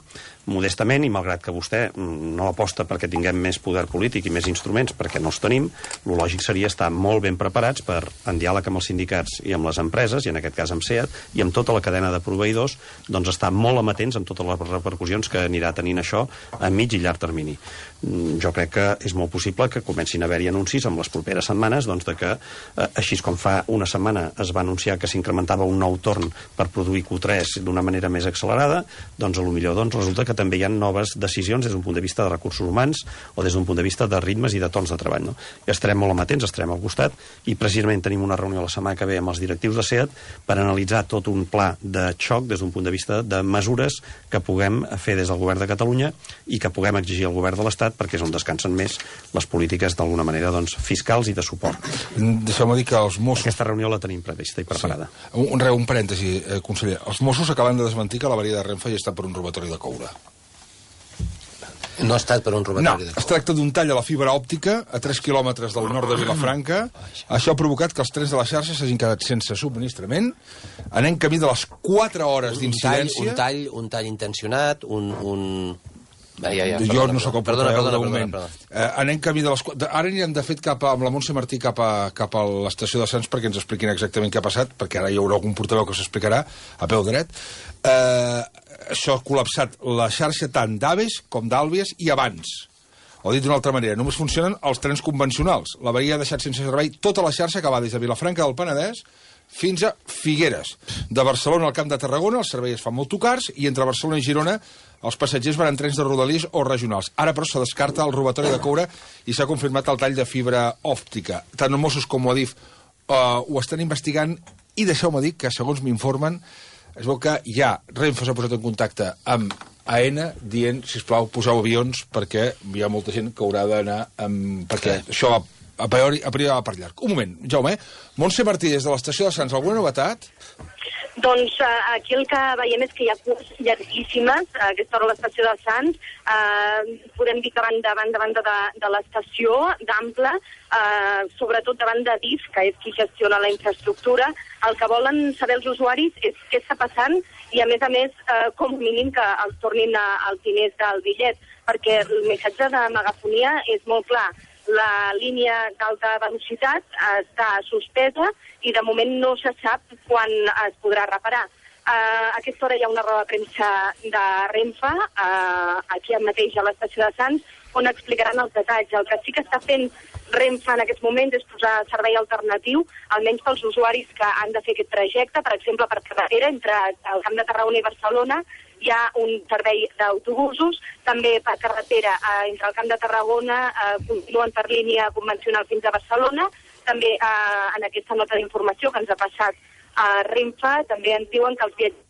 Speaker 2: modestament, i malgrat que vostè no aposta perquè tinguem més poder polític i més instruments, perquè no els tenim, el lògic seria estar molt ben preparats per, en diàleg amb els sindicats i amb les empreses, i en aquest cas amb Seat, i amb tota la cadena de proveïdors, doncs estar molt amatents amb totes les repercussions que anirà tenint això a mig i llarg termini. jo crec que és molt possible que comencin a haver-hi anuncis en les properes setmanes doncs, de que, eh, així com fa una setmana es va anunciar que s'incrementava un nou torn per produir Q tres d'una manera més accelerada, doncs a lo millor doncs, resulta que també hi ha noves decisions des d'un punt de vista de recursos humans o des d'un punt de vista de ritmes i de tons de treball. No? I estarem molt amatents, estarem al costat, i precisament tenim una reunió la setmana que ve amb els directius de SEAT per analitzar tot un pla de xoc des d'un punt de vista de mesures que puguem fer des del govern de Catalunya i que puguem exigir al govern de l'Estat perquè és on descansen més les polítiques d'alguna manera doncs, fiscals i de suport.
Speaker 1: Deixeu-me dir que els Mossos...
Speaker 2: Aquesta reunió la tenim prevista i preparada.
Speaker 1: Sí. Un, un, un parèntesi, eh, conseller. Els Mossos acaben de desmentir que l'avaria de Renfe hi està per un robatori de coure.
Speaker 6: No ha estat per un robatori
Speaker 1: no,
Speaker 6: de coure.
Speaker 1: Es tracta d'un tall a la fibra òptica a tres quilòmetres del nord de Vilafranca. Això ha provocat que els trens de la xarxa s'hagin quedat sense subministrament. Anem camí de les quatre hores d'incidència.
Speaker 6: Un tall, un tall intencionat, un... un... Ja, ja, ja,
Speaker 1: jo
Speaker 6: perdona,
Speaker 1: no sóc el
Speaker 6: perdona,
Speaker 1: portaveu
Speaker 6: perdona,
Speaker 1: de moment.
Speaker 6: perdona, perdona.
Speaker 1: Eh, anem camí de les... De, ara anirem, de fet, cap a, amb la Montse Martí cap a, cap a l'estació de Sants perquè ens expliquin exactament què ha passat, perquè ara hi haurà algun portaveu que s'explicarà a peu dret. Eh, això ha col·lapsat la xarxa tant d'Aves com d'Àlvies i abans. O dit d'una altra manera, només funcionen els trens convencionals. L'avaria ha deixat sense servei tota la xarxa que va des de Vilafranca del Penedès fins a Figueres. De Barcelona al Camp de Tarragona els serveis es fan molt tocars i entre Barcelona i Girona els passatgers van en trens de rodalies o regionals. Ara, però, se descarta el robatori de coure i s'ha confirmat el tall de fibra òptica. Tant els Mossos com Adif uh, ho estan investigant i deixeu-me dir que, segons m'informen, es veu que ja Renfe s'ha posat en contacte amb AENA dient, sisplau, poseu avions perquè hi ha molta gent que haurà d'anar amb... perquè sí. Això va a priori, a priori va per llarg. Un moment, Jaume. Montse Martí, des de l'estació de Sants, alguna novetat?
Speaker 7: Doncs uh, aquí el que veiem és que hi ha curs llarguíssimes a aquesta hora a l'estació de Sants. Uh, podem dir que van davant, davant de, de l'estació, d'ample, uh, sobretot davant de D I F, que és qui gestiona la infraestructura. El que volen saber els usuaris és què està passant i, a més a més, uh, com a mínim que els tornin a, als diners del bitllet, perquè el missatge de megafonia és molt clar. La línia d'alta velocitat està suspesa i de moment no se sap quan es podrà reparar. Uh, a aquesta hora hi ha una roda de premsa de Renfe, uh, aquí mateix a l'estació de Sants, on explicaran els detalls. El que sí que està fent Renfe en aquests moments és posar servei alternatiu, almenys pels usuaris que han de fer aquest trajecte, per exemple, per carretera, entre el Camp de Tarragona i Barcelona, hi ha un servei d'autobusos, també per carretera eh, entre el Camp de Tarragona, eh, continuen per línia convencional fins a Barcelona, també eh, en aquesta nota d'informació que ens ha passat a Renfe, també ens diuen que els viatgers...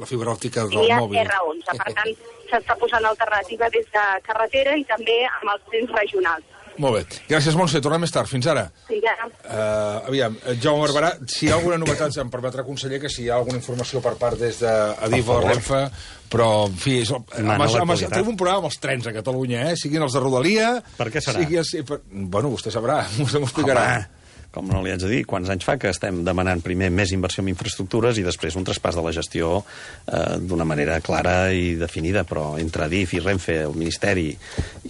Speaker 1: La fibra òptica del mòbil.
Speaker 7: R onze, per tant, s'està posant alternativa des de carretera i també amb els trens regionals.
Speaker 1: Molt bé. Gràcies, Montse. Tornem més tard. Fins ara.
Speaker 7: Fins ara.
Speaker 1: Uh, aviam, Jaume Barberà, si hi ha alguna novetat, em permetrà, conseller, que si hi ha alguna informació per part des d'Adif o Renfe, però, en fi, és, amb, amb, amb, tenim un programa amb els trens a Catalunya, eh? Siguin els de Rodalia...
Speaker 2: Per què serà?
Speaker 1: Sigui els, per, bueno, vostè sabrà, vostè m'ho explicarà.
Speaker 2: Home, com no li haig de dir, quants anys fa que estem demanant primer més inversió en infraestructures i després un traspàs de la gestió eh, d'una manera clara i definida, però entre Adif i Renfe, el Ministeri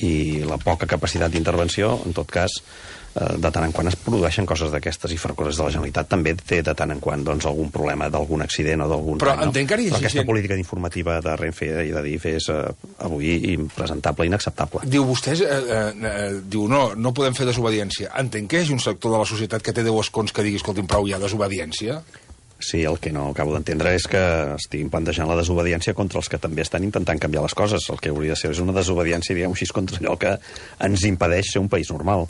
Speaker 2: i la poca capacitat d'intervenció, en tot cas, eh, de tant en quant es produeixen coses d'aquestes i Ferrocarrils de la Generalitat també té de tant en quant doncs, algun problema d'algun accident o d'algun...
Speaker 1: Però
Speaker 2: no?
Speaker 1: entenc que hi
Speaker 2: Però aquesta
Speaker 1: gent...
Speaker 2: política informativa de Renfe i d'Adif és eh, avui impresentable, inacceptable.
Speaker 1: Diu vostès, eh, eh, diu, no, no podem fer desobediència. Entenc que hi hagi un sector de la societat que té deu escons que digui, escolti'm, prou, hi ha desobediència?
Speaker 2: Sí, el que no acabo d'entendre és que estiguin plantejant la desobediència contra els que també estan intentant canviar les coses. El que hauria de ser és una desobediència, diguem-ho així, contra allò que ens impedeix ser un país normal.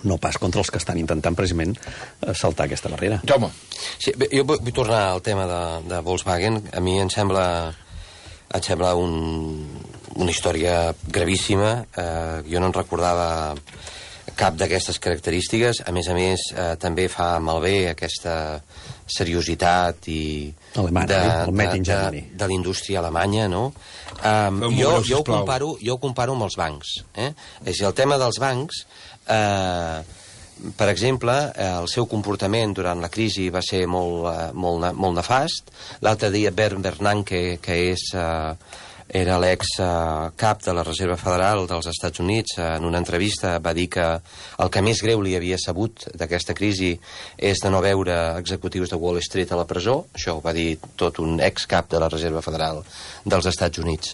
Speaker 2: No pas contra els que estan intentant precisament saltar aquesta barrera.
Speaker 1: Jaume.
Speaker 6: Sí, bé, jo vull tornar al tema de, de Volkswagen. A mi em sembla, em sembla un, una història gravíssima. Eh, jo no en recordava cap d'aquestes característiques. A més a més, eh, també fa malbé aquesta seriositat i
Speaker 2: Alemanya,
Speaker 6: de,
Speaker 2: el Made in
Speaker 6: de,
Speaker 2: Germany.
Speaker 6: de, de indústria alemanya, no? Um, jo, jo, ho comparo, jo ho comparo amb els bancs. Eh? És a dir, el tema dels bancs, eh, per exemple, eh, el seu comportament durant la crisi va ser molt, eh, molt, molt nefast. L'altre dia Bernd Bernanke, que és... Eh, era l'ex uh, cap de la Reserva Federal dels Estats Units, uh, en una entrevista va dir que el que més greu li havia sabut d'aquesta crisi és de no veure executius de Wall Street a la presó. Això ho va dir tot un ex cap de la Reserva Federal dels Estats Units.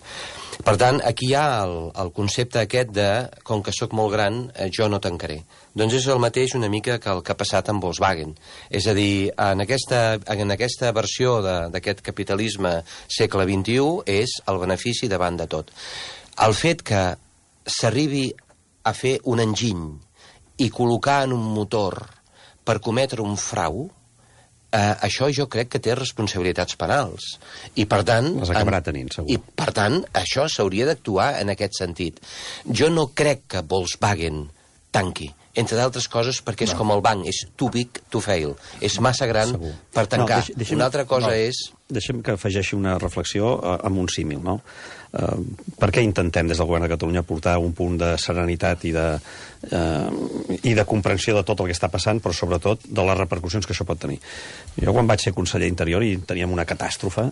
Speaker 6: Per tant, aquí hi ha el, el concepte aquest de, com que sóc molt gran, eh, jo no tancaré. Doncs és el mateix una mica que el que ha passat amb Volkswagen. És a dir, en aquesta, en aquesta versió d'aquest capitalisme segle vint-i-u és el benefici davant de tot. El fet que s'arribi a fer un enginy i col·locar en un motor per cometre un frau, eh, això jo crec que té responsabilitats penals. I per tant...
Speaker 2: Les acabarà tenint, segur.
Speaker 6: I per tant, això s'hauria d'actuar en aquest sentit. Jo no crec que Volkswagen tanqui, entre d'altres coses perquè és no. com el banc, és too big to fail. És massa gran segur. Per tancar. No, deixem, una altra cosa no, és...
Speaker 2: Deixem que afegeixi una reflexió uh, amb un símil, no? Uh, per què intentem des del govern de Catalunya portar un punt de serenitat i de, uh, i de comprensió de tot el que està passant, però sobretot de les repercussions que això pot tenir? Jo quan vaig ser conseller Interior i teníem una catàstrofe,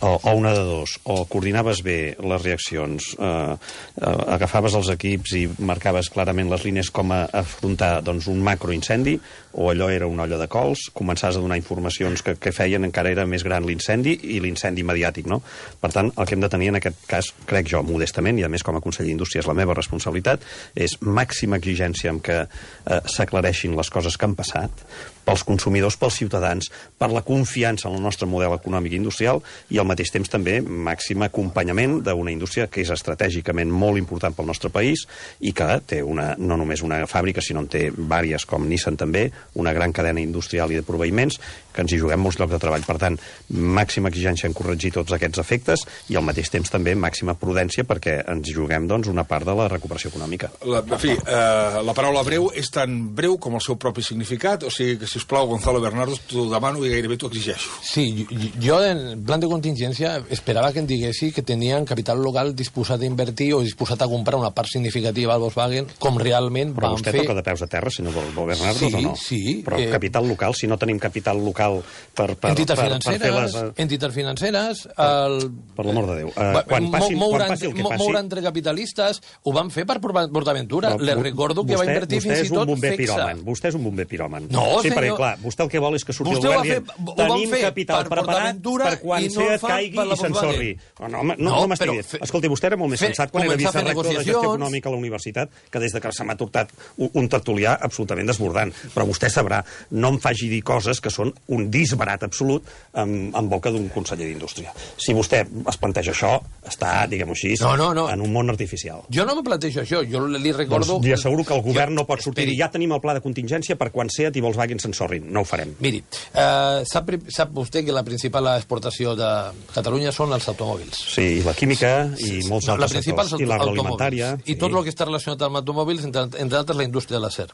Speaker 2: o, o una de dos, o coordinaves bé les reaccions, uh, uh, agafaves els equips i marcaves clarament les línies com a afrontar doncs, un macroincendi, o allò era una olla de cols, començaves a donar informacions que, que feien encara era més gran l'incendi i l'incendi mediàtic, no? Per tant, el que hem de tenir en aquest cas, crec jo, modestament, i a més com a conseller d'Indústria és la meva responsabilitat, és màxima exigència amb que eh, s'aclareixin les coses que han passat, pels consumidors, pels ciutadans, per la confiança en el nostre model econòmic i industrial i al mateix temps també màxim acompanyament d'una indústria que és estratègicament molt important pel nostre país i que té una, no només una fàbrica, sinó en té vàries com Nissan també, una gran cadena industrial i de proveïments, que ens hi juguem molts llocs de treball. Per tant, màxima exigència en corregir tots aquests efectes i al mateix temps també màxima prudència perquè ens hi juguem doncs, una part de la recuperació econòmica.
Speaker 1: La, en fi, eh, la paraula breu és tan breu com el seu propi significat, o sigui que sisplau, Gonzalo Bernardo, t'ho demano i gairebé t'ho exigeixo.
Speaker 5: Sí, jo en plan de contingència esperava que em diguessi que tenien capital local disposat a invertir o disposat a comprar una part significativa al Volkswagen, com realment
Speaker 2: Però
Speaker 5: van
Speaker 2: vostè
Speaker 5: fer...
Speaker 2: toca de peus a terra, senyor Bernardo,
Speaker 5: sí,
Speaker 2: o no?
Speaker 5: Sí,
Speaker 2: Però
Speaker 5: eh...
Speaker 2: capital local, si no tenim capital local per, per,
Speaker 5: entitats
Speaker 2: per,
Speaker 5: financeres,
Speaker 2: per fer les...
Speaker 5: entitats financeres... El...
Speaker 2: Per l'amor de Déu. Uh, quan, passi, quan passi el que passi...
Speaker 5: Moure entre capitalistes, ho van fer per PortAventura. Les recordo que
Speaker 2: vostè,
Speaker 5: va invertir fins i tot
Speaker 2: Fexa. Vostè és un bomber piròman.
Speaker 5: No,
Speaker 2: sí,
Speaker 5: senyor.
Speaker 2: Perquè, clar, vostè el que vol és que surti
Speaker 5: vostè
Speaker 2: el govern
Speaker 5: dient
Speaker 2: tenim capital per preparat per quan no Seat caigui i s'ensorri. No, no, no, no, no m'estigui. Fe... Escolti, vostè era molt més sensat quan era vicerector de gestió econòmica a la universitat que des de que se m'ha tortat un, un tertulià absolutament desbordant. Però vostè sabrà, no em faci dir coses que són un disbarat absolut en, en boca d'un conseller d'Indústria. Si vostè es planteja això, està, diguem-ho així,
Speaker 5: no, no, no.
Speaker 2: en un món artificial.
Speaker 5: Jo no me plantejo això, jo li recordo...
Speaker 2: Doncs li asseguro que el govern
Speaker 5: jo...
Speaker 2: no pot sortir i ja tenim el pla de contingència per quan Seat i Volkswagen s'ensorrin. No ho farem.
Speaker 5: Miri, eh, sap, sap vostè que la principal exportació de Catalunya són els automòbils.
Speaker 2: Sí, i la química i molts
Speaker 5: la
Speaker 2: altres
Speaker 5: sectors.
Speaker 2: I l'agroalimentària.
Speaker 5: I tot el que està relacionat amb automòbils, entre, entre altres la indústria de l'acer.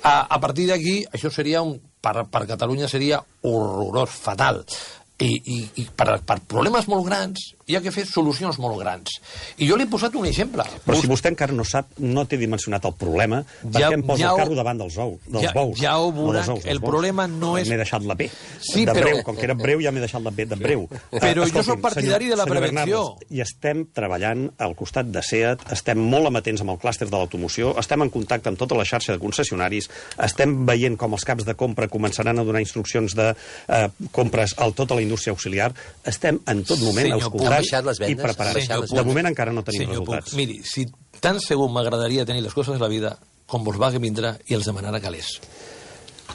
Speaker 5: A, a partir d'aquí, això seria un... Per, per Catalunya seria horrorós, fatal. I, i, i per, per problemes molt grans hi ha que fer solucions molt grans. I jo li he posat un exemple.
Speaker 2: Però Bus... si vostè encara no sap, no té dimensionat el problema, per
Speaker 5: ja,
Speaker 2: què em posa
Speaker 5: ja
Speaker 2: el carro davant dels, ous, dels
Speaker 5: ja,
Speaker 2: bous?
Speaker 5: Ja ho veurà,
Speaker 2: no ous,
Speaker 5: el
Speaker 2: bous.
Speaker 5: problema no és...
Speaker 2: M'he deixat la B,
Speaker 5: sí,
Speaker 2: de
Speaker 5: però...
Speaker 2: breu. Com que era breu, ja m'he deixat la B de breu.
Speaker 5: Però
Speaker 2: uh,
Speaker 5: jo soc partidari
Speaker 2: senyor,
Speaker 5: de la prevenció.
Speaker 2: Bernardo, I estem treballant al costat de Seat, estem molt amatents amb el clúster de l'automoció, estem en contacte amb tota la xarxa de concessionaris, estem veient com els caps de compra començaran a donar instruccions de uh, compres a tota la indústria auxiliar. Estem en tot moment
Speaker 6: Senyor
Speaker 2: auscultats i preparats. De moment encara no tenim
Speaker 5: Senyor
Speaker 2: resultats.
Speaker 5: Puig, miri, si tan segur m'agradaria tenir les coses de la vida, com Volkswagen vindrà i els demanarà calés.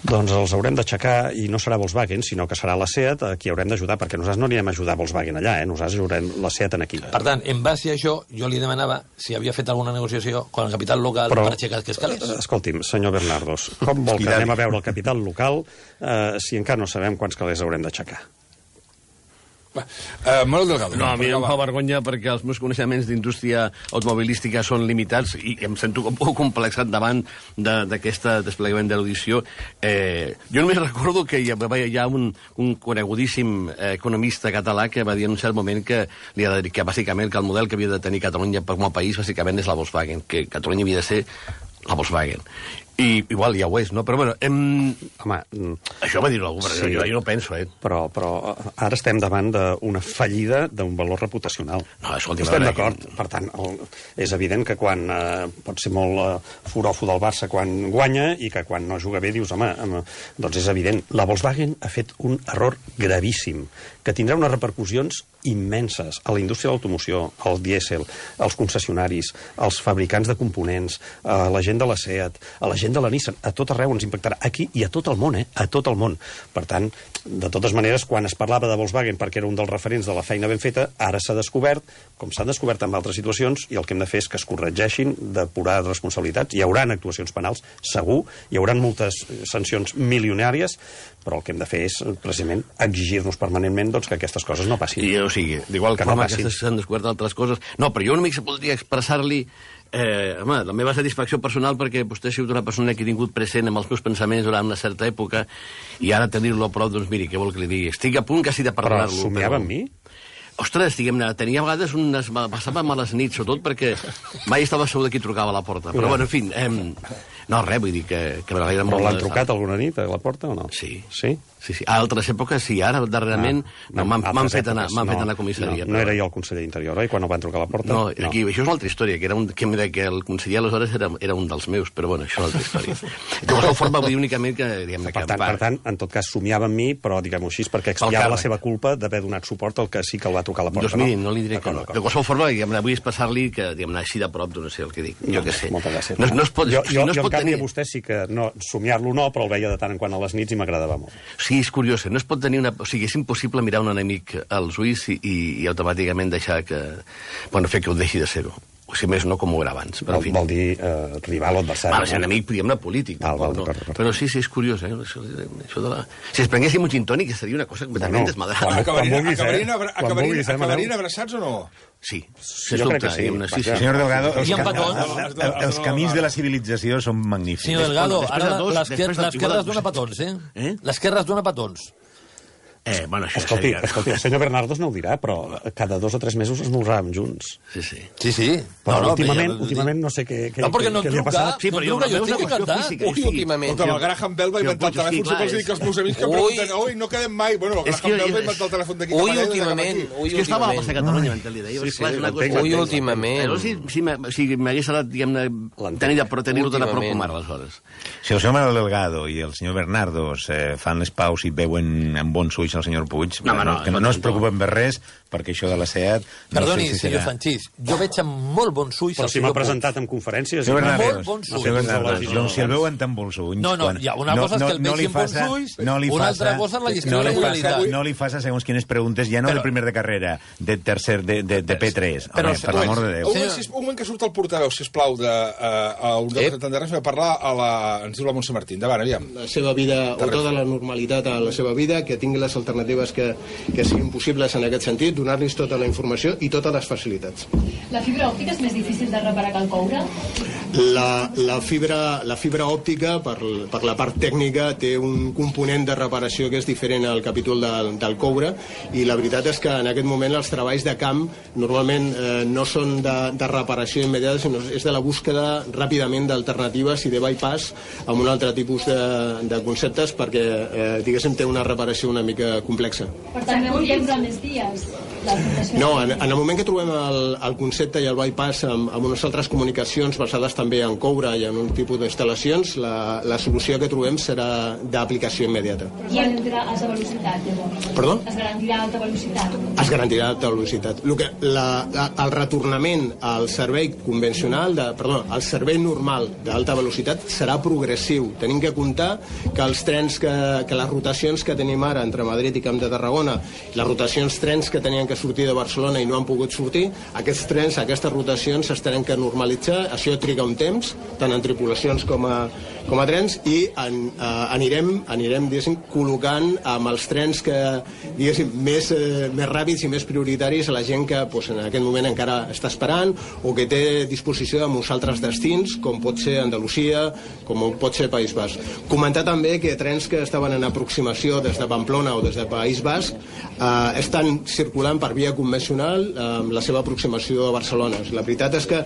Speaker 2: Doncs els haurem d'aixecar i no serà Volkswagen, sinó que serà la Seat a qui haurem d'ajudar, perquè nosaltres no anirem a ajudar Volkswagen allà, eh? Nosaltres ajudarem la Seat en aquí.
Speaker 5: Per tant, en base a això, jo li demanava si havia fet alguna negociació amb el capital local Però, per aixecar aquests calés.
Speaker 2: Escolti'm, senyor Bernardos, com vol que anem a veure el capital local eh, si encara no sabem quants calés haurem d'aixecar?
Speaker 1: Uh, Manuel Delgado.
Speaker 8: No, a mi em fa vergonya perquè els meus coneixements d'indústria automobilística són limitats i em sento un poc complexat davant d'aquest de, desplegament de l'audició. Eh, jo només recordo que hi ha, hi ha un, un conegudíssim eh, economista català que va dir en un cert moment que, li ha de dir que bàsicament que el model que havia de tenir Catalunya com a país bàsicament és la Volkswagen, que Catalunya havia de ser la Volkswagen. I igual ja ho és, no? Però bueno, hem...
Speaker 2: Home,
Speaker 8: això va dir-ho algú, però sí, jo, jo no penso, eh?
Speaker 2: Però, però ara estem davant d'una fallida d'un valor reputacional.
Speaker 8: No, escolti,
Speaker 2: estem d'acord. Que... Per tant, el, és evident que quan eh, pot ser molt eh, foròfo del Barça quan guanya i que quan no juga bé dius, home, home, doncs és evident. La Volkswagen ha fet un error gravíssim que tindrà unes repercussions immenses a la indústria de l'automoció, al dièsel, als concessionaris, als fabricants de components, a la gent de la SEAT, a la gent de la Nissan, a tot arreu ens impactarà. Aquí i a tot el món, eh? A tot el món. Per tant, de totes maneres, quan es parlava de Volkswagen perquè era un dels referents de la feina ben feta, ara s'ha descobert, com s'han descobert en altres situacions, i el que hem de fer és que es corregeixin, depurar responsabilitats. Hi haurà actuacions penals, segur, hi haurà moltes sancions milionàries, però el que hem de fer és, precisament, exigir-nos permanentment doncs, que aquestes coses no passin.
Speaker 8: I, o sigui, d'igual
Speaker 2: que
Speaker 8: forma
Speaker 2: no
Speaker 8: que s'han descobert altres coses... No, però jo només voldria expressar-li eh, home, la meva satisfacció personal perquè vostè ha sigut una persona que he tingut present amb els meus pensaments durant una certa època i ara tenir-lo a prop, doncs miri, què vol que li digui? Estic a punt quasi de parlar-lo.
Speaker 2: Però somiava amb mi?
Speaker 8: Ostres, diguem-ne, tenia a vegades unes... Passava males nits, sobretot perquè mai estava segur de qui trucava a la porta. Però, bueno, en fi... Eh, no, res, vull dir que... que
Speaker 2: Però l'han trucat alguna nit a la porta o no?
Speaker 8: Sí.
Speaker 2: Sí?
Speaker 8: Sí, sí. A altres èpoques sí, ara darrerament ah, no, m'han fet, anar, fet anar a comissaria.
Speaker 2: No, no era jo el conseller d'Interior, oi? Quan el van trucar a la porta?
Speaker 8: No, aquí, no. Això és una altra història, que, era un, que, que el conseller aleshores era, era un dels meus, però bueno, això és una altra història. De qualsevol forma, vull dir únicament que... Diguem,
Speaker 2: per,
Speaker 8: que
Speaker 2: tant, per tant, en tot cas, somiava amb mi, però diguem-ho així, perquè expiava la seva culpa d'haver donat suport al que sí que el va trucar a la porta.
Speaker 8: Doncs miri, no, no li diré que no. De qualsevol forma, diguem, vull expressar-li que, diguem, així de prop, no sé el que dic, jo què sé.
Speaker 2: Moltes gràcies.
Speaker 8: No, no es pot,
Speaker 2: jo,
Speaker 8: jo,
Speaker 2: jo,
Speaker 8: no es
Speaker 2: jo
Speaker 8: pot
Speaker 2: en canvi,
Speaker 8: tenir...
Speaker 2: a vostè sí que no, somiar-lo no, però el veia de tant en quant a les nits i m'agradava molt.
Speaker 8: Sí, és curiós, no es pot tenir una... O sigui, és impossible mirar un enemic als ulls i, i, i automàticament deixar que... Bueno, fer que ho deixi de ser-ho. O si més no com ho era abans. Però,
Speaker 2: vol, vol dir eh, rival o adversari.
Speaker 8: Val, és enemic, diguem-ne, polític.
Speaker 2: Val, val,
Speaker 8: no?
Speaker 2: per, per.
Speaker 8: Però sí, sí, és curiós, eh? Això, això de la... Si es prenguéssim un gin tònic seria una cosa completament no, desmadrada.
Speaker 1: Acabarien, acabarien, abra, acabarien, acabarien abraçats o no?
Speaker 8: Sí,
Speaker 2: sí, jo crec que sí.
Speaker 8: sí, sí.
Speaker 4: Senyor Delgado, els,
Speaker 5: ca
Speaker 4: els, els camins de la civilització són magnífics.
Speaker 5: Senyor Delgado, ara l'esquerra es dona petons, eh? eh? L'esquerra es dona petons.
Speaker 8: Eh, bueno, això
Speaker 2: escolti,
Speaker 8: seria...
Speaker 2: escolti, el senyor Bernardos no ho dirà, però cada dos o tres mesos esmorzàvem junts.
Speaker 8: Sí, sí.
Speaker 5: Sí, sí.
Speaker 2: Però
Speaker 5: no, no,
Speaker 2: últimament,
Speaker 5: ja...
Speaker 2: últimament no sé què, què,
Speaker 5: no, perquè no
Speaker 2: què li ha passat.
Speaker 5: Sí, però no truca, jo estic encantat.
Speaker 6: Ui, últimament.
Speaker 1: Escolta, el Graham Bell va inventar el telèfon, sempre els dic als meus amics que pregunten, ui, no quedem mai. Bueno, el Graham Bell va inventar el telèfon d'aquí.
Speaker 6: Ui, últimament.
Speaker 8: És que estava a passar a Catalunya, mentre li deia.
Speaker 6: Sí, sí, ui, últimament.
Speaker 8: Però si m'hagués agradat, diguem-ne, tenir-lo tan a prop com ara, aleshores.
Speaker 4: Si el senyor Manuel Delgado i el senyor Bernardos fan les paus i veuen amb bons ulls el senyor Puig, que no es preocupen per res, perquè això de la SEAT...
Speaker 5: Perdoni, senyor Sanchís, jo veig amb molt bons ulls...
Speaker 2: Però si m'ha presentat en conferències...
Speaker 5: Molt bons ulls.
Speaker 4: Doncs si el veuen tan bons ulls...
Speaker 5: No, no, hi ha una cosa és que el vegi amb bons ulls, una altra cosa és la gestió de la qualitat.
Speaker 4: No li faça segons quines preguntes, ja no de primer de carrera, de tercer, de P tres. Per l'amor de Déu.
Speaker 1: Un moment que surt el portaveu, sisplau, d'un representant de res, va parlar a la... ens diu la Montse Martín. Endavant, aviam.
Speaker 9: La seva vida, o tota la normalitat a la seva vida, que tingui les alternatives que que siguin possibles en aquest sentit, donar-los tota la informació i totes les facilitats.
Speaker 10: La fibra òptica és més difícil de reparar que el coure?
Speaker 9: La, la, fibra, la fibra òptica, per, per la part tècnica, té un component de reparació que és diferent al capítol del, del coure, i la veritat és que en aquest moment els treballs de camp normalment eh, no són de, de reparació immediata, sinó és de la búsqueda ràpidament d'alternatives i de bypass amb un altre tipus de, de conceptes perquè, eh, diguéssim, té una reparació una mica complexa.
Speaker 10: Per tant, veu que hi ha més dies?
Speaker 9: No, en, en el moment que trobem el, el concepte i el bypass amb, amb unes altres comunicacions basades també en coure i en un tipus d'instal·lacions, la, la solució que trobem serà d'aplicació immediata.
Speaker 10: I es garantirà alta velocitat, llavors?
Speaker 9: Perdó?
Speaker 10: Es garantirà alta velocitat?
Speaker 9: Es garantirà alta velocitat. El, que, la, la, el retornament al servei convencional, de, perdó, al servei normal d'alta velocitat serà progressiu, tenint que comptar que els trens, que, que les rotacions que tenim ara entre Madrid i Camp de Tarragona, les rotacions trens que tenien que sortir de Barcelona i no han pogut sortir, aquests trens, aquestes rotacions es tenen que normalitzar, això triga un temps, tant en tripulacions com a, com a trens, i en, eh, anirem, anirem diguéssim, col·locant amb els trens que, diguéssim, més, eh, més ràpids i més prioritaris a la gent que pues, en aquest moment encara està esperant o que té disposició de molts altres destins, com pot ser Andalusia, com pot ser País Basc. Comentar també que trens que estaven en aproximació des de Pamplona o des de País Basc eh, estan circulant per via convencional amb la seva aproximació a Barcelona. La veritat és que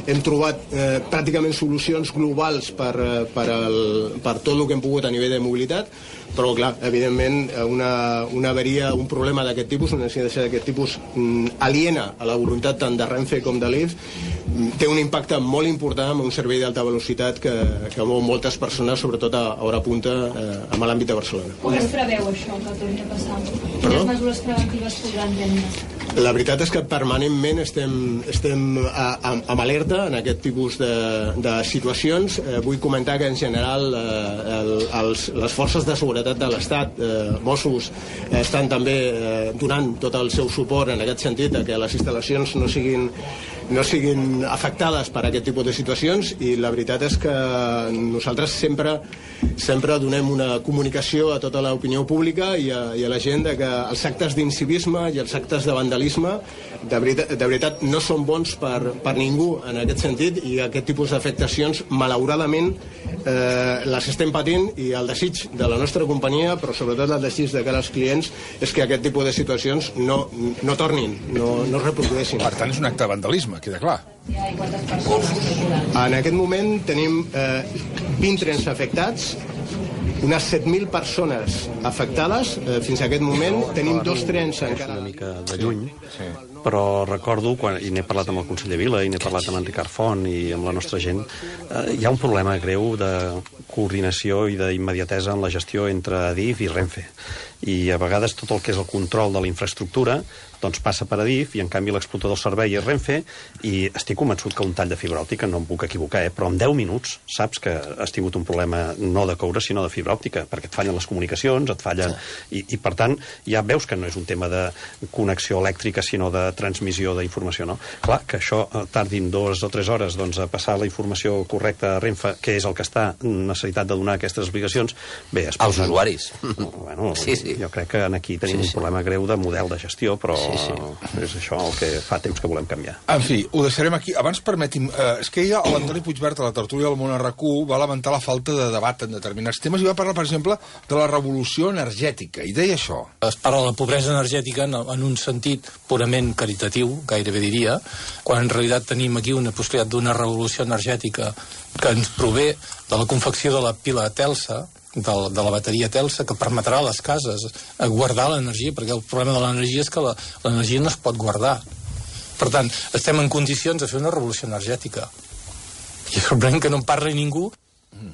Speaker 9: hem trobat eh, pràcticament solucions globals per, per, el, per tot el que hem pogut a nivell de mobilitat, però clar, evidentment una, una averia, un problema d'aquest tipus, una incidència d'aquest tipus mm, aliena a la voluntat tant de Renfe com de l'I F, mm, té un impacte molt important amb un servei d'alta velocitat que, que mou moltes persones, sobretot a hora punta eh, amb l'àmbit de Barcelona.
Speaker 10: Com es preveu això que torni a passar? Quines mesures preventives podran prendre?
Speaker 9: La veritat és que permanentment estem, estem a, a, amb alerta en aquest tipus de, de situacions. Eh, vull comentar que en general eh, el, els, les forces de seguretat de l'Estat, eh, Mossos, eh, estan també eh, donant tot el seu suport en aquest sentit a que les instal·lacions no siguin no siguin afectades per aquest tipus de situacions, i la veritat és que nosaltres sempre sempre donem una comunicació a tota l'opinió pública i a, i a la gent de que els actes d'incivisme i els actes de vandalisme de veritat, de veritat no són bons per, per ningú en aquest sentit, i aquest tipus d'afectacions malauradament eh, les estem patint, i el desig de la nostra companyia, però sobretot el desig de cara als clients, és que aquest tipus de situacions no, no tornin, no, no es reprodueixin.
Speaker 1: Per tant, és un acte de vandalisme, queda clar.
Speaker 9: En aquest moment tenim eh, vint trens afectats, unes set mil persones afectades. Eh, fins a aquest moment tenim dos trens encara...
Speaker 2: Una mica de lluny, sí. Però recordo, quan, i n'he parlat amb el conseller Vila, i n'he parlat amb en Ricard Font i amb la nostra gent, eh, hi ha un problema greu de coordinació i d'immediatesa en la gestió entre Adif i Renfe. I a vegades tot el que és el control de la infraestructura doncs passa per Adif, i en canvi l'explotador del servei és Renfe, i estic convençut que un tall de fibra òptica, no em puc equivocar, eh, però en deu minuts saps que has tingut un problema no de coure sinó de fibra òptica, perquè et fallen les comunicacions, et fallen... I, i per tant ja veus que no és un tema de connexió elèctrica sinó de transmissió d'informació, no? Clar, que això tardin dues o tres hores doncs, a passar la informació correcta a Renfe, que és el que està necessitat de donar aquestes explicacions, bé... Es
Speaker 6: als usuaris.
Speaker 2: Bueno,
Speaker 6: sí, sí.
Speaker 2: Jo crec que aquí tenim sí, sí. un problema greu de model de gestió, però sí, sí. és això el que fa temps que volem canviar.
Speaker 1: En fi, ho deixarem aquí. Abans, permeti'm, eh, és que ja l'Antoni Puigvert a la tertúlia del Món R Q va lamentar la falta de debat en determinats temes i va parlar, per exemple, de la revolució energètica, i deia això.
Speaker 11: Es parla de la pobresa energètica en, en un sentit purament caritatiu, gairebé diria, quan en realitat tenim aquí una possibilitat d'una revolució energètica que ens prové de la confecció de la pila Telsa, de, de la bateria Telsa, que permetrà a les cases guardar l'energia, perquè el problema de l'energia és que l'energia no es pot guardar. Per tant, estem en condicions de fer una revolució energètica. I és sorprenent que no en parli ningú.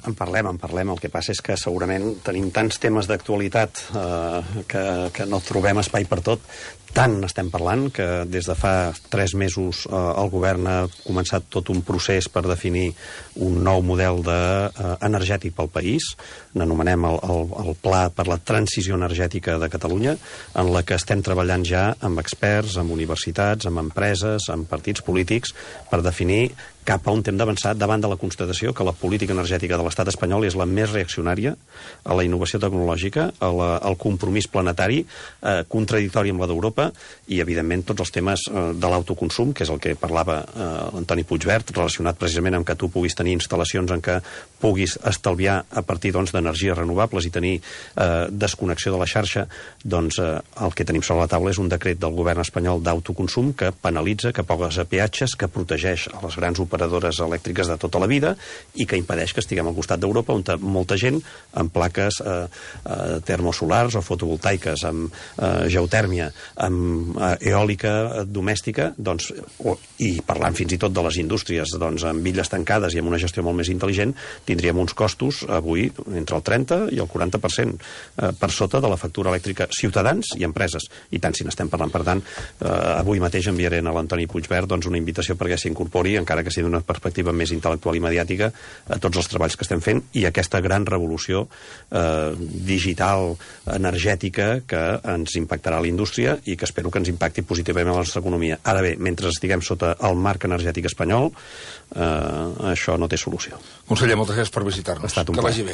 Speaker 2: En parlem, en parlem. El que passa és que segurament tenim tants temes d'actualitat eh, que, que no trobem espai per tot. Tant n'estem parlant que des de fa tres mesos eh, el govern ha començat tot un procés per definir un nou model de, eh, energètic pel país. N'anomenem el, el, el Pla per la Transició Energètica de Catalunya, en la que estem treballant ja amb experts, amb universitats, amb empreses, amb partits polítics, per definir cap a on hem d'avançar davant de la constatació que la política energètica de l'estat espanyol és la més reaccionària a la innovació tecnològica, a la, al compromís planetari, eh, contradictori amb la d'Europa, i, evidentment, tots els temes eh, de l'autoconsum, que és el que parlava eh, l'Antoni Puigvert, relacionat precisament amb que tu puguis tenir instal·lacions en què puguis estalviar a partir doncs, d'energies renovables i tenir eh, desconnexió de la xarxa. Doncs eh, el que tenim sobre la taula és un decret del govern espanyol d'autoconsum que penalitza, que posa peatges, que protegeix a les grans operadores elèctriques de tota la vida i que impedeix que estiguem al costat d'Europa, on molta gent amb plaques eh, eh, termosolars o fotovoltaiques, amb eh, geotèrmia, amb eh, eòlica domèstica, doncs, o, i parlant fins i tot de les indústries, doncs, amb illes tancades i amb una gestió molt més intel·ligent, tindríem uns costos avui entre el trenta i el quaranta per cent eh, per sota de la factura elèctrica ciutadans i empreses. I tant si n'estem parlant. Per tant, eh, avui mateix enviaré a l'Antoni Puigvert doncs, una invitació perquè s'incorpori, encara que sigui d'una perspectiva més intel·lectual i mediàtica, a tots els treballs que estem fent i aquesta gran revolució eh, digital, energètica, que ens impactarà a la indústria i que espero que ens impacti positivament a la nostra economia. Ara bé, mentre estiguem sota el marc energètic espanyol, eh, això no té solució.
Speaker 1: Conseller, moltes gràcies per visitar-nos.
Speaker 2: Ha estat un
Speaker 1: que
Speaker 2: plaer.
Speaker 1: vagi bé.